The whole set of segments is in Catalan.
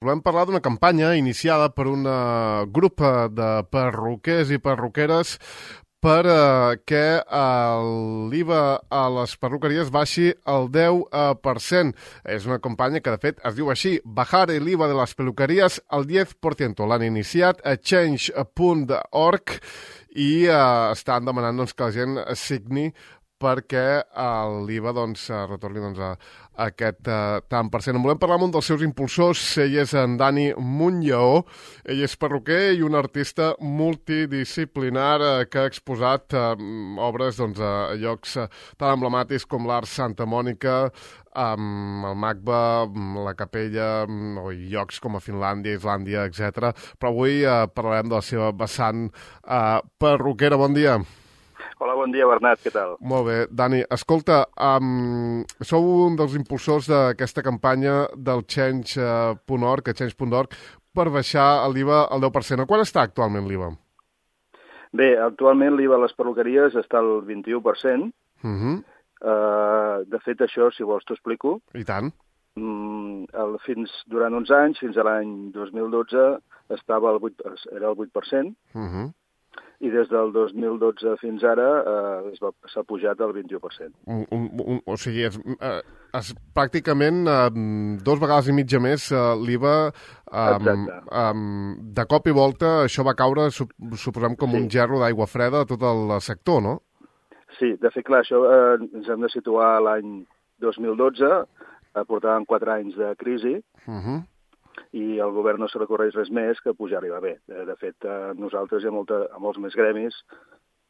Volem parlar d'una campanya iniciada per un grup de perruquers i perruqueres que l'IVA a les perruqueries baixi el 10%. És una campanya que, de fet, es diu així: bajar el IVA de les peluqueries al 10%. L'han iniciat a change.org i estan demanant que la gent signi perquè l'IVA retorni a aquest tant per cent. En volem parlar amb un dels seus impulsors. Ell és en Dani Muntllaó. Ell és perruquer i un artista multidisciplinar que ha exposat obres a llocs tan emblemàtics com l'Art Santa Mònica, el MACBA, la Capella, o llocs com a Finlàndia, Islàndia, etc. Però avui parlarem de la seva vessant perruquera. Bon dia. Hola, bon dia, Bernat, què tal? Molt bé. Dani, escolta, sou un dels impulsors d'aquesta campanya del Change.org, per baixar l'IVA al 10%. A quan està actualment l'IVA? Bé, actualment l'IVA a les perruqueries està al 21%. De fet, això, si vols, t'ho explico. I tant. Durant uns anys, fins a l'any 2012, era el 8%. I des del 2012 fins ara s'ha pujat al 21%. O sigui, és pràcticament 2 vegades i mitja més l'IVA. De cop i volta això va caure, suposem, com un gerro d'aigua freda a tot el sector, no? Sí, de fet, clar, això ens hem de situar a l'any 2012, portàvem 4 anys de crisi, i al govern no se li correix res més que pujar l'IVA. Bé, de fet, nosaltres i a molts més gremis,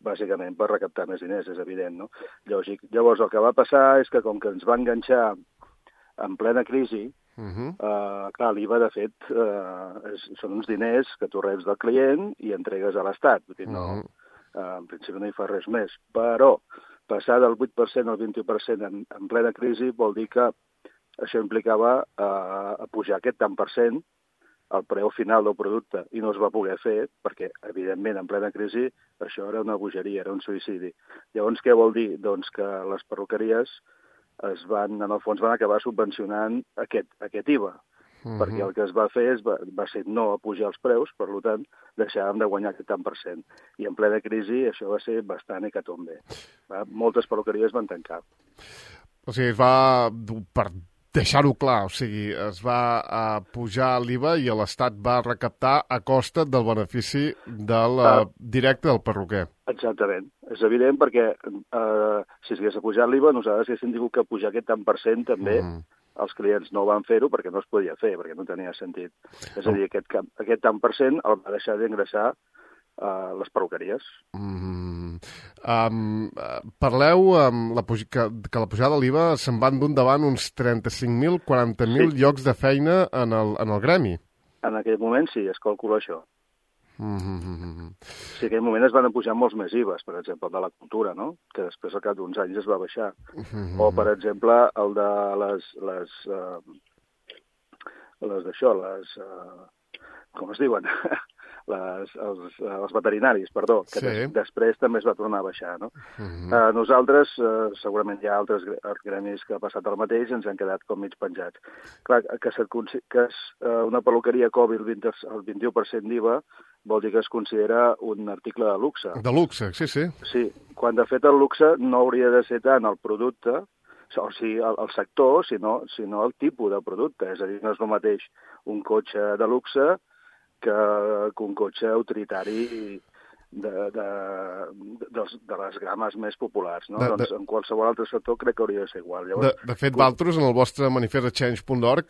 bàsicament per recaptar més diners, és evident, no? Lògic. Llavors, el que va passar és que com que ens va enganxar en plena crisi, clar, l'IVA, de fet, són uns diners que tu reps del client i entregues a l'Estat. En principi no hi fa res més. Però passar del 8% al 21% en plena crisi vol dir que això implicava pujar aquest tant per cent al preu final del producte, i no es va poder fer perquè, evidentment, en plena crisi, això era una bogeria, era un suïcidi. Llavors, què vol dir? Doncs que les perruqueries en el fons van acabar subvencionant aquest IVA, perquè el que es va fer va ser no apujar els preus, per tant, deixàvem de guanyar aquest tant per cent. I en plena crisi això va ser bastant hecatombe. Moltes perruqueries van tancar. O sigui, es va, per deixar-ho clar, o sigui, es va pujar l'IVA i l'Estat va recaptar a costa del benefici directe del perruquer. Exactament. És evident perquè si s'hagués pujat l'IVA, nosaltres haguéssim tingut que pujar aquest tant per cent també. Els clients no van fer-ho perquè no es podia fer, perquè no tenia sentit. És a dir, aquest tant per cent el va deixar d'ingressar les perruqueries. Parleu que la pujada de l'IVA se'n van d'un davant uns 35.000, 40.000 llocs de feina en el gremi. En aquell moment sí, es calcula això. Sí, en aquell moment es van pujar molts més IVAs, per exemple, el de la cultura, no? Que després al cap d'uns anys es va baixar. O, per exemple, el de com es diuen? Els veterinaris, perdó, que després també es va tornar a baixar, no? Nosaltres, segurament hi ha altres gremis que ha passat el mateix, ens han quedat com mig penjats. Clar, que una perruqueria cobri el 21% d'IVA vol dir que es considera un article de luxe. De luxe, sí. Sí, quan de fet el luxe no hauria de ser tant el producte, o sigui, el sector, sinó el tipus de producte. És a dir, no és el mateix un cotxe de luxe que un cotxe utilitari de les games més populars, no? Doncs en qualsevol altre sector crec que hauria de ser igual. Llavors, de fet, vosaltres, en el vostre manifest de Change.org,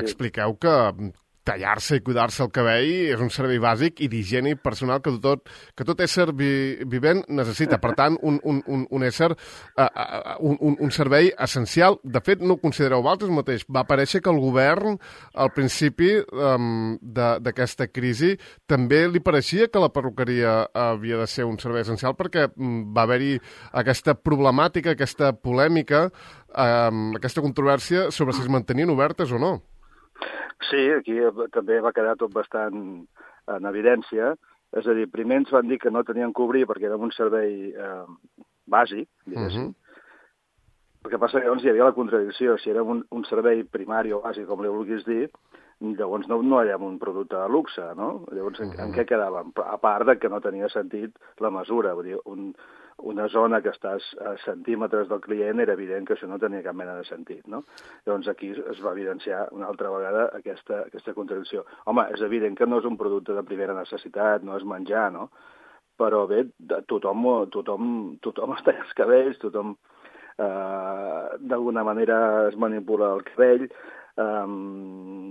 expliqueu que tallar-se i cuidar-se el cabell és un servei bàsic i d'higiene personal que tot ésser vivent necessita. Per tant, un servei essencial. De fet, no ho considereu vosaltres mateix. Va aparèixer que el govern, al principi d'aquesta crisi, també li pareixia que la perruqueria havia de ser un servei essencial perquè va haver-hi aquesta problemàtica, aquesta polèmica, aquesta controvèrsia sobre si es mantenien obertes o no. Sí, aquí també va quedar tot bastant en evidència. És a dir, primer ens van dir que no tenien que obrir perquè era un servei bàsic, diguéssim. El que passa que llavors hi havia la contradicció. Si era un servei primari o bàsic, com li vulguis dir, llavors no érem un producte de luxe, no? Llavors, en què quedàvem? A part de que no tenia sentit la mesura. Vull dir, una zona que estàs a centímetres del client, era evident que això no tenia cap mena de sentit, no? Llavors aquí es va evidenciar una altra vegada aquesta contradicció. Home, és evident que no és un producte de primera necessitat, no és menjar, no? Però bé, tothom es talla els cabells, tothom d'alguna manera es manipula el cabell.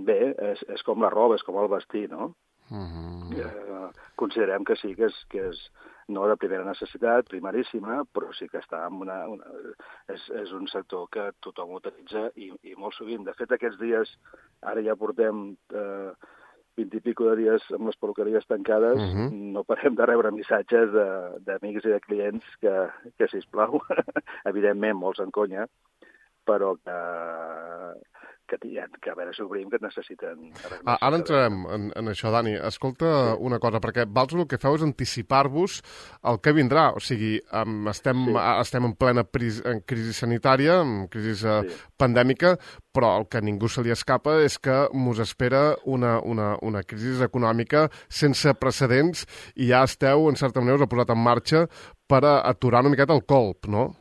Bé, és com la roba, és com el vestir, no? Considerem que sí, que és no de primera necessitat, primaríssima, però sí que està en és un sector que tothom utilitza i molt sovint. De fet, aquests dies, ara ja portem 20 i pico de dies amb les peluqueries tancades, no parem de rebre missatges d'amics i de clients que sisplau, evidentment molts en conya, però que a veure si obrim, que necessiten... Ara entrarem en això, Dani. Escolta una cosa, perquè vosaltres el que feu és anticipar-vos el que vindrà. O sigui, estem en plena crisi sanitària, en crisi pandèmica, però el que a ningú se li escapa és que mos espera una crisi econòmica sense precedents i ja esteu, en certa manera, us ha posat en marxa per aturar una miqueta el colp, no?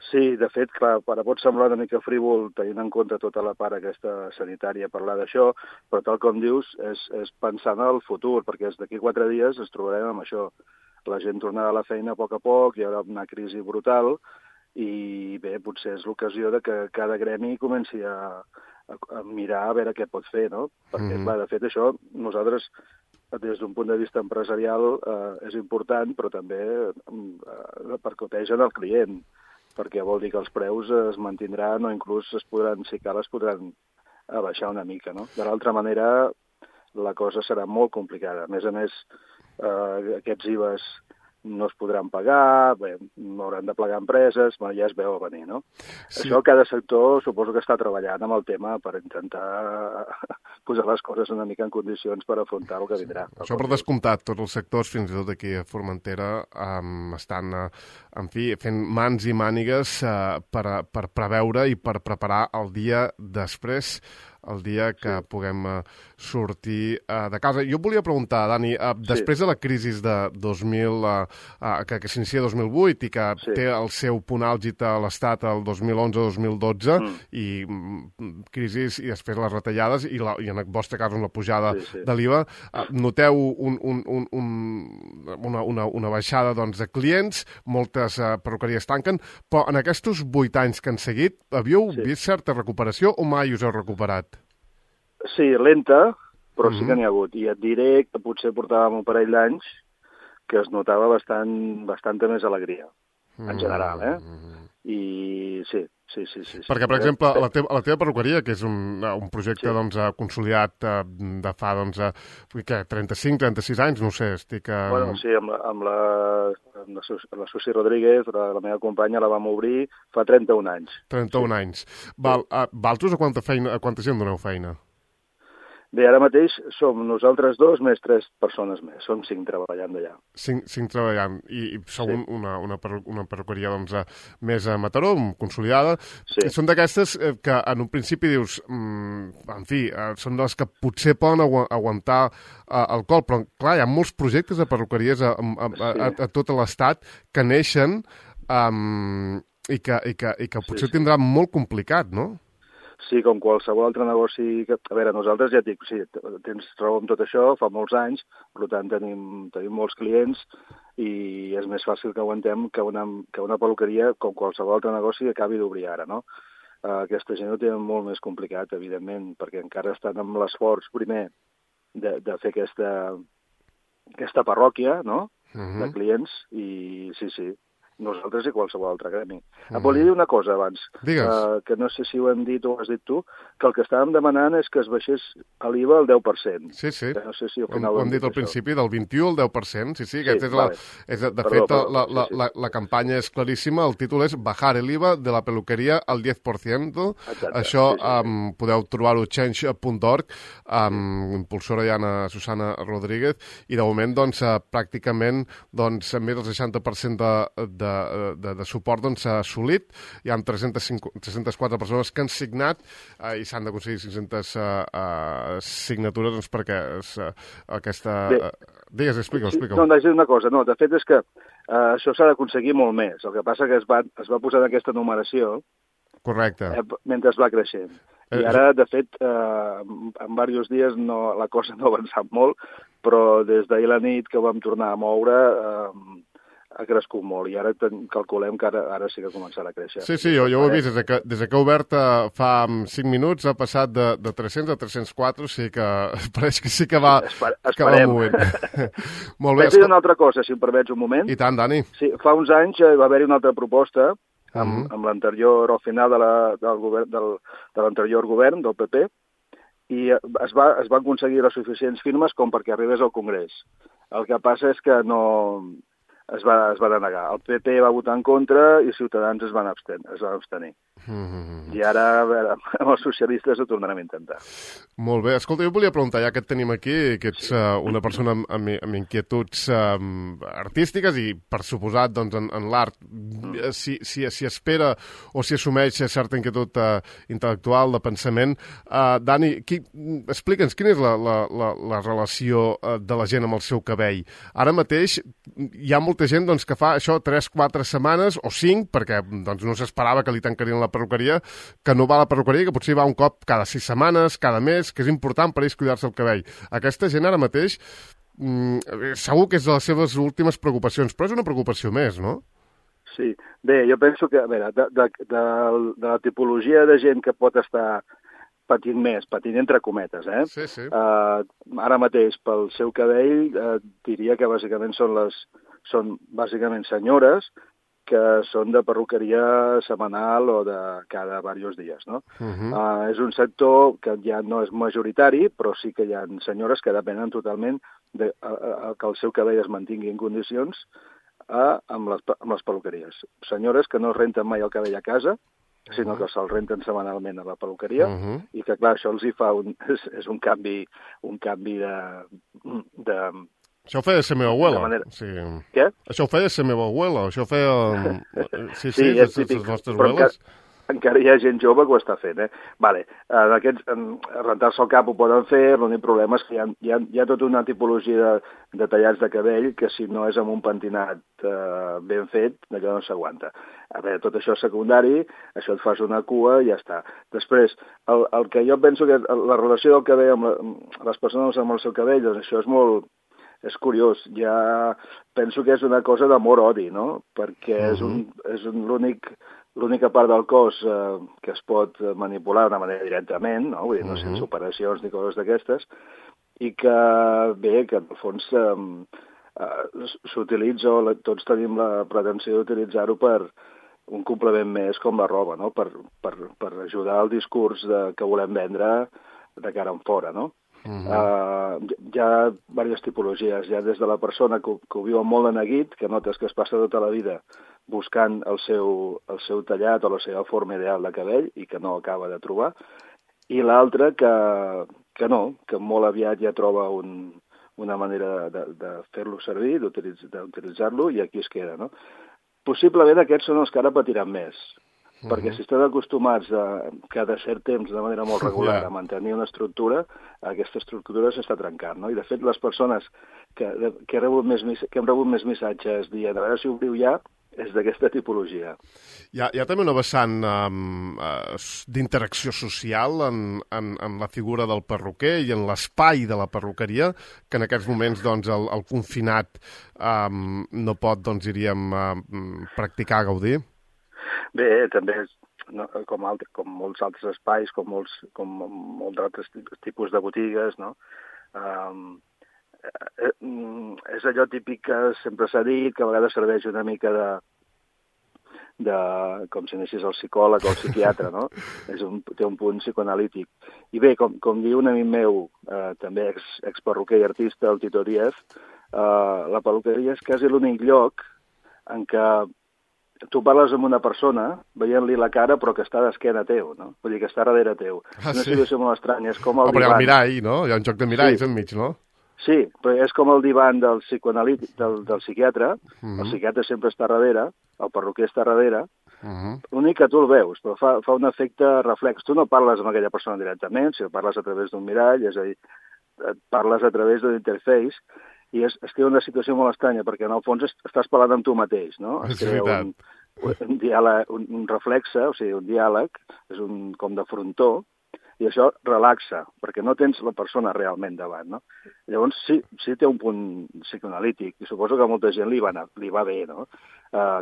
Sí, de fet, clar, ara pot semblar una mica frívol tenint en compte tota la part aquesta sanitària parlar d'això, però tal com dius és pensant en el futur, perquè d'aquí 4 dies ens trobarem amb això. La gent tornarà a la feina a poc, hi haurà una crisi brutal i bé, potser és l'ocasió de que cada gremi comenci a mirar a veure què pot fer, no? Perquè, clar, de fet, això nosaltres des d'un punt de vista empresarial és important, però també repercuteix en el client, perquè vol dir que els preus es mantindran o inclús si cal, es podran abaixar una mica, no? De l'altra manera, la cosa serà molt complicada. A més, aquests IVAs no es podran pagar, bé, no hauran de plegar empreses, ja es veu a venir, no? Sí. Això cada sector suposo que està treballant amb el tema per intentar posar les coses una mica en condicions per afrontar el que vindrà. Això per descomptat, tots els sectors, fins i tot aquí a Formentera, estan, en fi, fent mans i mànigues per preveure i per preparar el dia després, el dia que puguem sortir de casa. Jo volia preguntar, Dani, després de la crisi de 2000, que s'inicia 2008 i que té el seu punt àlgid a l'Estat el 2011-2012, i crisis i després les retallades i en el vostre cas la pujada de l'IVA, noteu una baixada de clients, moltes perruqueries tanquen, però en aquests 8 anys que han seguit, havíeu vist certa recuperació o mai us heu recuperat? Sí, lenta, però sí que n'hi ha hagut. I et diré que potser portàvem un parell d'anys que es notava bastanta més alegria, en general, I sí. Perquè, per exemple, la teva perruqueria, que és un projecte consolidat de fa 35-36 anys, no sé, estic... Bueno, sí, amb la Susi Rodríguez, la meva companya, la vam obrir fa 31 anys. 31 anys. Valtros a quanta gent doneu feina? Bé, ara mateix som nosaltres 2 més 3 persones més. Som 5 treballant d'allà. 5 treballant. I sou una perruqueria més a Mataró, consolidada. Sí. Són d'aquestes que en un principi dius, en fi, són de les que potser poden aguantar el col, però clar, hi ha molts projectes de perruqueries a tot l'Estat que neixen i que potser tindrà molt complicat, no? Sí, com qualsevol altre negoci... A veure, nosaltres ja et dic, sí, tens raó amb tot això, fa molts anys, per tant tenim molts clients i és més fàcil que aguantem que una peluqueria, com qualsevol altre negoci, acabi d'obrir ara, no? Aquesta gent ho té molt més complicat, evidentment, perquè encara estan amb l'esforç, primer, de fer aquesta parròquia, no?, de clients, i sí, nosaltres i qualsevol altre gremi. Volia dir una cosa abans, que no sé si ho hem dit o ho has dit tu, que el que estàvem demanant és que es baixés l'IVA al 10%. Sí. No sé si al final ho hem dit al principi, del 21 al 10%. Sí, de fet, la campanya és claríssima, el títol és Bajar el IVA de la peluqueria al 10%. Això podeu trobar-ho a change.org, impulsora Diana Susana Rodríguez, i de moment, pràcticament, més del 60% de de suport doncs, s'ha assolit. Hi ha 304 persones que han signat i s'han d'aconseguir 500 signatures doncs, perquè aquesta... Digues, explica-ho. No, vaig dir una cosa. No, de fet és que això s'ha d'aconseguir molt més. El que passa que es va posar en aquesta numeració. Correcte. Mentre es va creixent. I ara, de fet, en diversos dies la cosa no ha avançat molt, però des d'ahir a la nit que vam tornar a moure ha crescut molt i ara calculem que ara sí que començarà a créixer. Sí, jo ho he vist. Des que ha obert fa 5 minuts ha passat de 300 a 304, o sigui que pareix que sí que va movent. Molt bé. Vaig dir una altra cosa, si em permets un moment. I tant, Dani. Sí, fa uns anys va haver-hi una altra proposta amb l'anterior, al final de l'anterior govern, del PP, i es van aconseguir les suficients firmes com perquè arribés al Congrés. El que passa és que no es va denegar. El PP va votar en contra i Ciutadans es van abstenir. I ara, a veure, amb els socialistes ho tornarem a intentar. Molt bé. Escolta, jo volia preguntar, ja que et tenim aquí, que ets una persona amb inquietuds artístiques i, per suposat, doncs, en l'art, si espera o si assumeix certa inquietud intel·lectual, de pensament. Dani, explica'ns quina és la relació de la gent amb el seu cabell. Ara mateix hi ha molta gent doncs, que fa això 3-4 setmanes o 5, perquè doncs, no s'esperava que li tancarien la perruqueria, que no va a la perruqueria, que potser va un cop cada 6 setmanes, cada mes, que és important per ells cuidar-se el cabell. Aquesta gent ara mateix segur que és de les seves últimes preocupacions, però és una preocupació més, no? Sí. Bé, jo penso que, a veure, de la tipologia de gent que pot estar patint entre cometes, Sí. Ara mateix, pel seu cabell, diria que bàsicament són bàsicament senyores que són de perruqueria setmanal o de cada diversos dies, no? És un sector que ja no és majoritari, però sí que hi ha senyores que depenen totalment que el seu cabell es mantingui en condicions amb les perruqueries. Senyores que no renten mai el cabell a casa, sinó que se'l renten setmanalment a la perruqueria, i que, clar, això els hi fa és un canvi de això ho feia la meva abuela. Sí. Què? Això ho feia la meva abuela. Això ho feia... Sí, és típic. Les nostres abueles. Encara hi ha gent jove que ho està fent, Vale. Rentar-se el cap ho poden fer, l'únic problema és que hi ha tota una tipologia de tallats de cabell que si no és amb un pentinat ben fet, allò no s'aguanta. A veure, tot això és secundari, això et fas una cua i ja està. Després, el que jo penso que la relació del cabell amb les persones amb el seu cabell, doncs això és curiós, ja penso que és una cosa d'amor-odi, no? Perquè és l'única part del cos que es pot manipular d'una manera directament, no? Vull dir, no sense operacions ni coses d'aquestes, i que, bé, que en el fons s'utilitza, o tots tenim la pretensió d'utilitzar-ho per un complement més com la roba, no? Per ajudar al discurs que volem vendre de cara en fora, no? Hi ha diverses tipologies, ja des de la persona que ho viu molt de neguit, que notes que es passa tota la vida buscant el seu tallat o la seva forma ideal de cabell i que no acaba de trobar, i l'altra que molt aviat ja troba una manera de fer-lo servir, d'utilitzar-lo, i aquí es queda, no? Possiblement aquests són els que ara patiran més, perquè si estan acostumats cada cert temps, de manera molt regular, a mantenir una estructura, aquesta estructura s'està trencant, no? I de fet les persones que hem rebut més missatges dient a veure si obriu ja, és d'aquesta tipologia. Hi ha també una vessant d'interacció social en la figura del perruquer i en l'espai de la perruqueria, que en aquests moments doncs, el confinat no pot, doncs, diríem, practicar, gaudir? Bé, també, com molts altres espais, com molts altres tipus de botigues, no? És allò típic que sempre s'ha dit, que a vegades serveix una mica com si anessis al psicòleg o al psiquiatre, no? Té un punt psicoanalític. I bé, com diu un amic meu, també experruquer i artista, el Tito Díaz, la perruqueria és quasi l'únic lloc en què tu parles amb una persona veient-li la cara però que està d'esquena teu, no? Vull dir que està darrere teu. Una situació molt estranya. És com el mirall, no? Hi ha un joc de miralls enmig, no? Sí, però és com el divan del psicoanalític, del psiquiatre. El psiquiatre sempre està darrere, el perruquer està darrere. L'únic que tu el veus, però fa un efecte reflex. Tu no parles amb aquella persona directament, sinó parles a través d'un mirall, és a dir, parles a través d'un interface, i es crea una situació molt estranya, perquè en el fons estàs parlant amb tu mateix, no? És veritat. Un diàleg, un reflexe, o sigui, un diàleg, és com de frontó, i això relaxa, perquè no tens la persona realment davant, no? Llavors, sí té un punt psicoanalític, i suposo que a molta gent li va bé, no?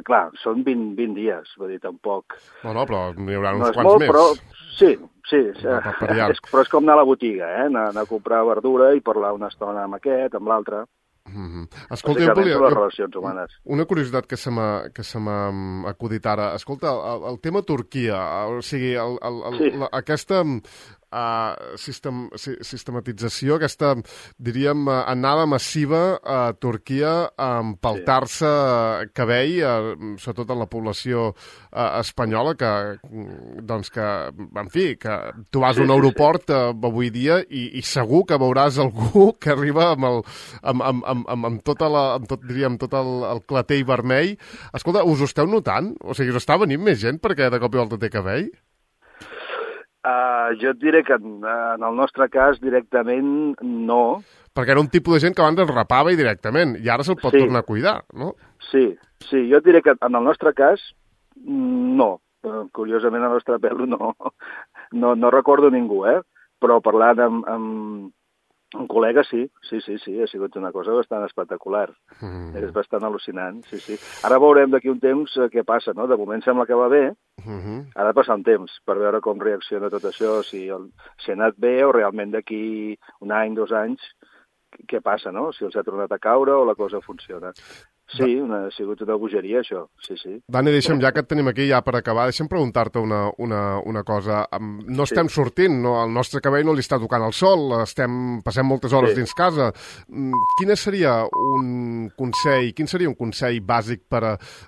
Clar, són 20 dies, vull dir, tampoc... No, però n'hi haurà uns no quants molt, més. Però sí, Però és com anar a la botiga, anar a comprar verdura i parlar una estona amb aquest, amb l'altre. Escolta, bàsicament són les relacions humanes. Una curiositat que se m'ha acudit ara. Escolta, el tema Turquia, o sigui, aquesta sistematització, aquesta, diríem, anada massiva a Turquia a empaltar-se cabell, sobretot en la població espanyola, que, en fi, que tu vas a un aeroport avui dia i segur que veuràs algú que arriba amb tot el clatell vermell. Escolta, us ho esteu notant? O sigui, us està venint més gent perquè de cop i volta té cabell? Jo et diré que en el nostre cas directament no. Perquè era un tipus de gent que abans es rapava i directament, i ara se'l pot tornar a cuidar, no? Sí, jo et diré que en el nostre cas no. Curiosament, el nostre pèl no recordo ningú, però parlant amb un col·lega, sí, ha sigut una cosa bastant espectacular. És bastant al·lucinant, sí. Ara veurem d'aquí un temps què passa, no? De moment sembla que va bé, ha de passar un temps per veure com reacciona tot això, si ha anat bé o realment d'aquí un any, 2 anys, què passa, no? Si els ha tornat a caure o la cosa funciona. Sí, ha sigut una bogeria, això, sí. Dani, deixa'm, ja que et tenim aquí ja per acabar, deixa'm preguntar-te una cosa. No estem sortint, no? El nostre cabell no li està tocant el sol, passem moltes hores dins casa. Quin seria un consell bàsic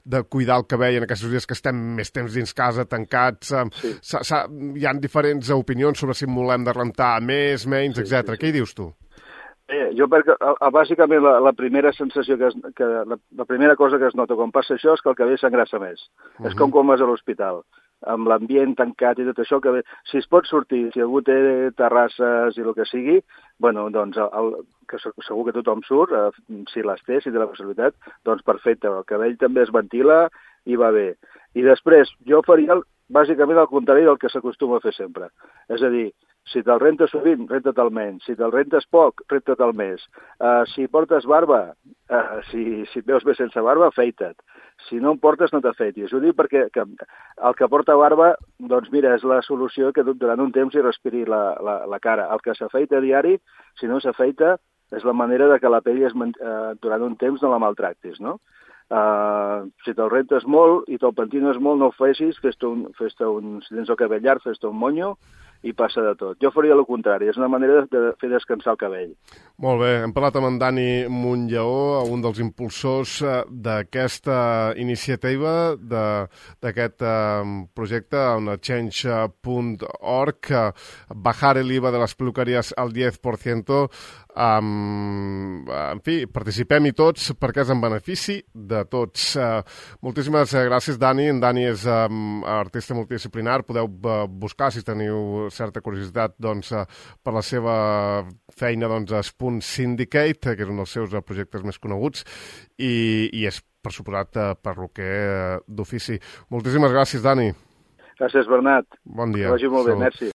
de cuidar el cabell en aquests dies que estem més temps dins casa, tancats? Hi ha diferents opinions sobre si en volem de rentar més, menys, etc. Què hi dius tu? Jo perquè bàsicament la primera sensació la primera cosa que es nota quan passa això és que el cabell s'engrassa més. És com quan vas a l'hospital, amb l'ambient tancat i tot això, si es pot sortir, si algú té terrasses i el que sigui, bueno, doncs que segur que tothom surt, si les té, si té la possibilitat, doncs perfecte, el cabell també es ventila i va bé. I després, jo faria bàsicament el contrari del que s'acostuma a fer sempre. És a dir, si te'l rentes sovint, renta't el menys. Si te'l rentes poc, renta't el més. Si portes barba, si et veus bé sense barba, afeita't. Si no en portes, no t'afeitis. Ho dic perquè el que porta barba, doncs mira, és la solució que durant un temps hi respiri la cara. El que s'afeita a diari, si no s'afeita, és la manera de que la pell durant un temps no la maltractis, no? Si te'l rentes molt i te'l pentines molt, no ho facis, si tens el cabell llarg, fes-te un monyo i passa de tot. Jo faria el contrari, és una manera de fer descansar el cabell. Molt bé, hem parlat amb en Dani Montlleó, un dels impulsors d'aquesta iniciativa, d'aquest projecte, change.org, bajar el IVA de les peluqueries al 10%. En fi, participem-hi tots perquè és en benefici de tots. Moltíssimes gràcies, Dani. En Dani és artista multidisciplinar. Podeu buscar, si teniu certa curiositat, doncs, per la seva feina, doncs, a Spoon Syndicate, que és un dels seus projectes més coneguts, i és, per suposat, perruquer d'ofici. Moltíssimes gràcies, Dani. Gràcies, Bernat. Bon dia. Que vagi molt bé, merci.